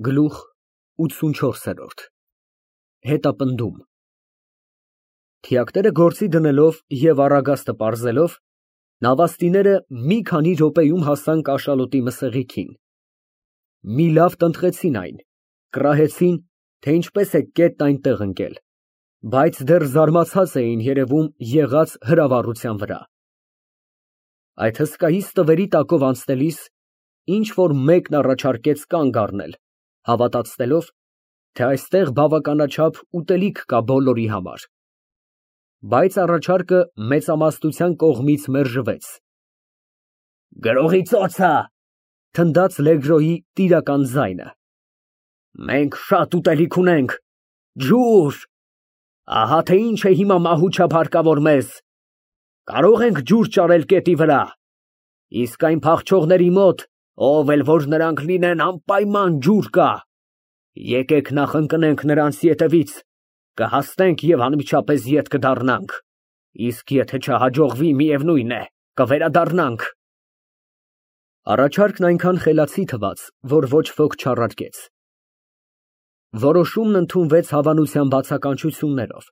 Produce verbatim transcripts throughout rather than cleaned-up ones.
Գլուխ ութսունչորս։ Հետապնդում Թիակները գործի դնելով և առագաստը պարզելով, նավաստիները մի քանի րոպեում հասան կաշալոտի մսեղիքին, մի լավ տնտղեցին այն, կռահեցին, թե ինչպես է կետն այնտեղ ընկել, բայց դեռ զարմացած էին երևում եղած հրավառության վրա։ Այդ հսկայից տվերի տակով անցնելիս ինչ֊որ մեկն առաջարկեց կանգ առնել, հավատացնելով, թե այստեղ բավականաչափ ուտելիք կա բոլորի համար, բայց առաջարկը մեծամասնության կողմից մերժվեց։ «Գրողի ծոցը», ֊ թնդաց Լեգրոյի տիրական ձայնը, ֊ մենք շատ ուտելիք ունենք, ջուր, ահա թե ինչ է հիմա մահուչափ հարկավոր մեզ, կարող ենք ջուր ճարել կետի վրա, իսկ այն փախչողների մոտ, ով էլ որ նրանք լինեն, անպայման ջուր կա, եկեք նախ ընկնենք նրանց ետևից, կհասնենք և անմիջապես ետ կդառնանք, իսկ եթե չհաջողվի, միևնույն է, կվերադառնանք։ Առաջարկն այնքան խելացի թվաց, որ ոչ ոք չառարկեց։ Որոշումն ընդունվեց հավանության բացականչություններով,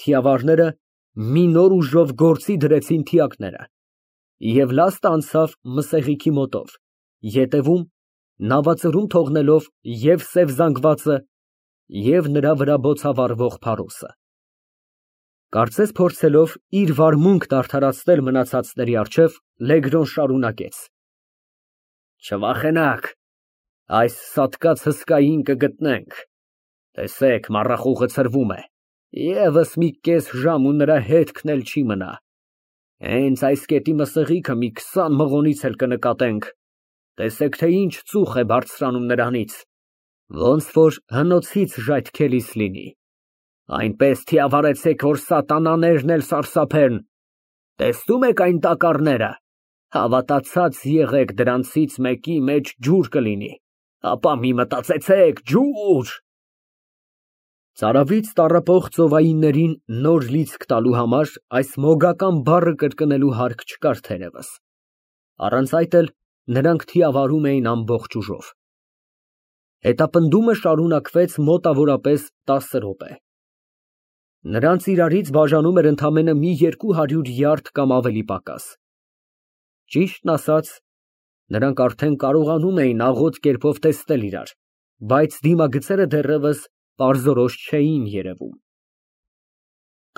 թիավարները մի նոր ուժով գործի դրեցին թիակները, և լաստը անցավ մսեղիքի մոտով, ետևում նավածռում թողնելով և սև զանգվածը, և նրա վրա բոցավառվող փարոսը։ Կարծես փորձելով իր վարմունքն արդարացնել մնացածների առջև, Լեգրոն շարունակեց. Չվախենաք, այս սատկած հսկային կգտնենք, տեսեք, մառախուղը ցրվում է, ևս մի կես ժամ ու նրա հետքն էլ չի մնա, հենց այս կետի մսեղիքը մի քսան մղոնից էլ կնկատենք, տեսեք, թե ինչ ծուխ է բարձրանում նրանից, ոնց որ հնոցից ժայթքելիս լինի, այնպես թիավարեցեք, որ սատանաներն էլ սարսափեն, տեսնում եք այն տակառները, հավատացած եղեք դրանցից մեկի մեջ ջուր կլինի, ապա մի մտածեցեք, ջուր… Ծարավից տառապող ծովայիններին նոր լիցք տալու համար այս մոգական բառը կրկնելու հարկ չկար թերևս, առանց այդ էլ նրանք թիավարում էին ամբողջ ուժով։ Հետապնդումը շարունակվեց մոտավորապես տասը րոպե։ Նրանց իրարից բաժանում էր ընդամենը մի երկու հարյուր յարդ կամ ավելի պակաս։ Ճիշտն ասած, նրանք արդեն կարողանում էին աղոտ կերպով տեսնել իրար, բայց դիմագծերը դեռևս պարզորոշ չէին երևում։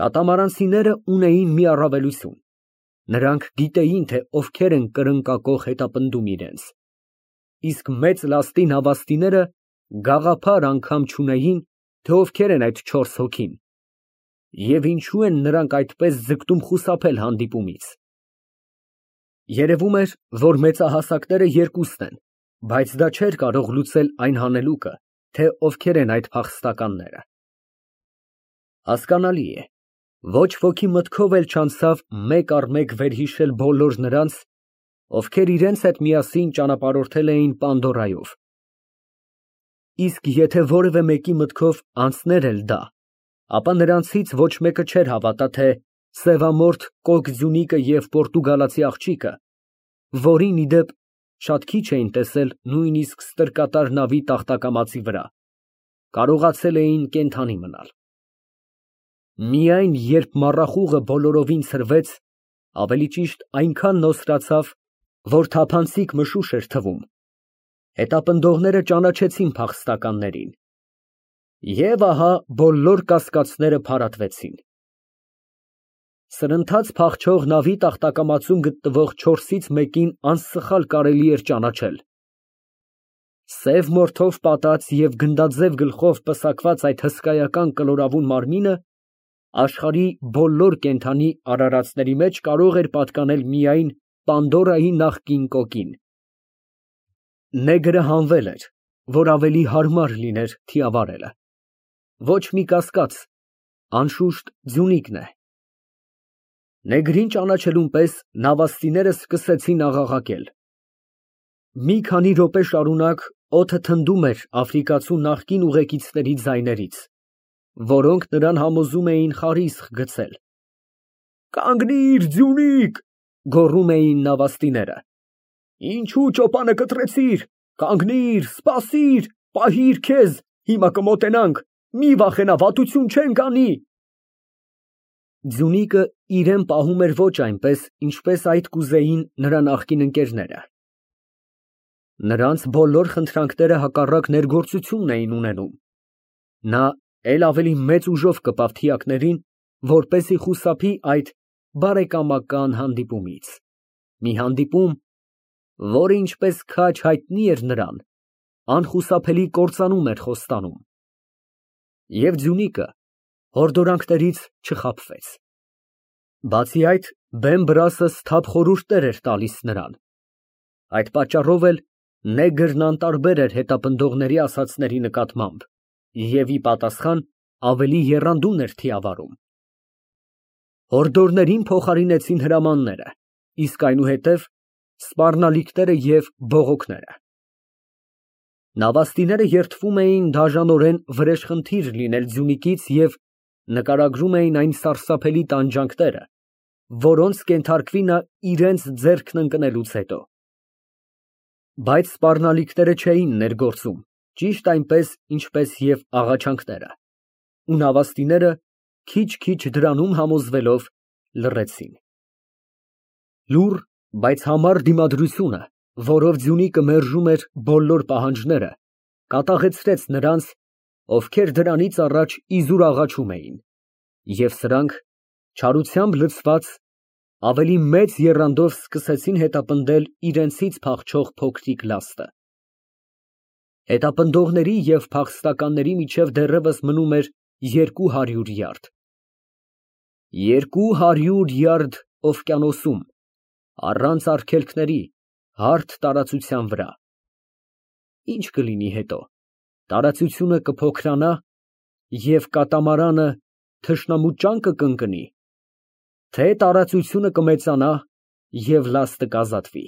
Կատամարանցիները ունեին մի առավելություն. նրանք գիտեին, թե ովքեր են կրկնակող հետապնդում իրենց, իսկ մեծ լաստի նավաստիները գաղափար անգամ չունեին, թե ովքեր են այդ չորս հոգին, և ինչու են նրանք այդպես ձգտում խուսափել հանդիպումից։ Երևում էր, որ մեծահասակները երկուսն են, բայց դա չէր կարող լուծել այն հանելուկը, թե ովքեր են այդ փախստականները։ Հասկանալի է, ոչ ոքի մտքով էլ չանցավ մեկ առ մեկ վերհիշել բոլոր նրանց, ովքեր իրենց հետ միասին ճանապարհորդել էին Պանդորայով։ Իսկ եթե որևէ մեկի մտքով անցներ էլ դա, ապա նրանցից ոչ մեկը չէր հավատա, թե սևամորթ կոկ ձյունիկը և պորտուգալացի աղջիկը, որին, ի դեպ, շատ քիչ էին տեսել նույնիսկ ստրկատար նավի տախտակամածի վրա, կարողացել էին կենդանի մնալ։ Միայն երբ մառախուղը բոլորովին ցրվեց, ավելի ճիշտ այնքան նոսրացավ, որ թափանցիկ մշուշ էր թվում, հետապնդողները ճանաչեցին փախստականներին, և ահա բոլոր կասկածները փարատվեցին։ Սրընթաց փախչող նավի տախտակամածում գտնվող չորսից մեկին անսխալ կարելի էր ճանաչել։ Սև մորթով պատած և գնդաձև գլխով պսակված այդ հսկայական կլորավուն մարմինը աշխարհի բոլոր կենդանի արարածների մեջ կարող էր պատկանել միայն Պանդորայի նախկին կոկին։ Նեգրը հանվել էր, որ ավելի հարմար լիներ թիավարելը։ Ոչ մի կասկած, անշուշտ ձյունիկն է։ Նեգրին ճանաչելուն պես նավաստիները սկսեցին աղաղակել։ Մի քանի րոպե շարունակ օդը թնդում էր աֆրիկացու նախկին ուղեկիցների ձայներից, որոնք նրան համոզում էին խարիսխ գցել։ Կանգնիր, ձյունիկ, գոռում էին նավաստիները։ Ինչու ճոպանը կտրեցիր, կանգնիր, սպասիր, Պահիր քեզ, հիմա կմոտենանք, մի վախենա, վատություն չենք անի։ Ձյունիկը իրեն պահում էր ոչ այնպես, ինչպես այդ կուզեին նրա նախկին ընկերները։ Նրանց բոլոր խնդրանքները հակառակ ներգործությունն էին ունենում։ Նա էլ ավելի մեծ ուժով կպավ թիակներին, որպեսզի խուսափի այդ բարեկամական հանդիպումից։ Մի հանդիպում, որը ինչպես քաջ հայտնի էր նրան, անխուսափելի կործանում էր խոստանում։ Եվ ձյունիկը հորդորանքներից չխաբվեց։ Բացի այդ, Բեն֊Բրասը սթափ խորհուրդներ էր տալիս նրան։ Այդ պատճառով էլ նեգրն անտարբեր էր հետապնդողների ասածների նկատմամբ և ի պատասխան ավելի եռանդուն էր թիավարում։ Հորդորներին փոխարինեցին հրամանները, իսկ այնուհետև սպառնալիքները և բողոքները։ Նավաստիները երդվում էին դաժանորեն վրեժխնդիր լինել ձյունիկից և նկարագրում էին այն սարսափելի տանջանքները, որոնց կենթարկվի նա իրենց ձեռքն ընկնելուց հետո։ Բայց սպառնալիքները չէին ներգործում, ճիշտ այնպես, ինչպես և աղաչանքները, ու նավաստիները քիչ֊քիչ դրանում համոզվելով լռեցին։ Լուռ, բայց համառ դիմադրությունը, որով ձյունիկը մերժում էր բոլոր պահանջները, կատաղեցրեց նրանց, ովքեր դրանից առաջ իզուր աղաչում էին, և սրանք, չարությամբ լցված, ավելի մեծ եռանդով սկսեցին հետապնդել իրենցից փախչող փոքրիկ լաստը։ Հետապնդողների և փախստականների միջև դեռևս մնում էր երկու հարյուր յարդ։ Երկու հարյուր յարդ օվկիանոսում, առանց արգելքների, հարթ տարածության վրա։ Ի՞նչ կլինի հետո, տարածությունը կփոքրանա և կատամարանը թշնամու ճանկը կընկնի, թե տարածությունը կմեծանա և լաստը կազատվի։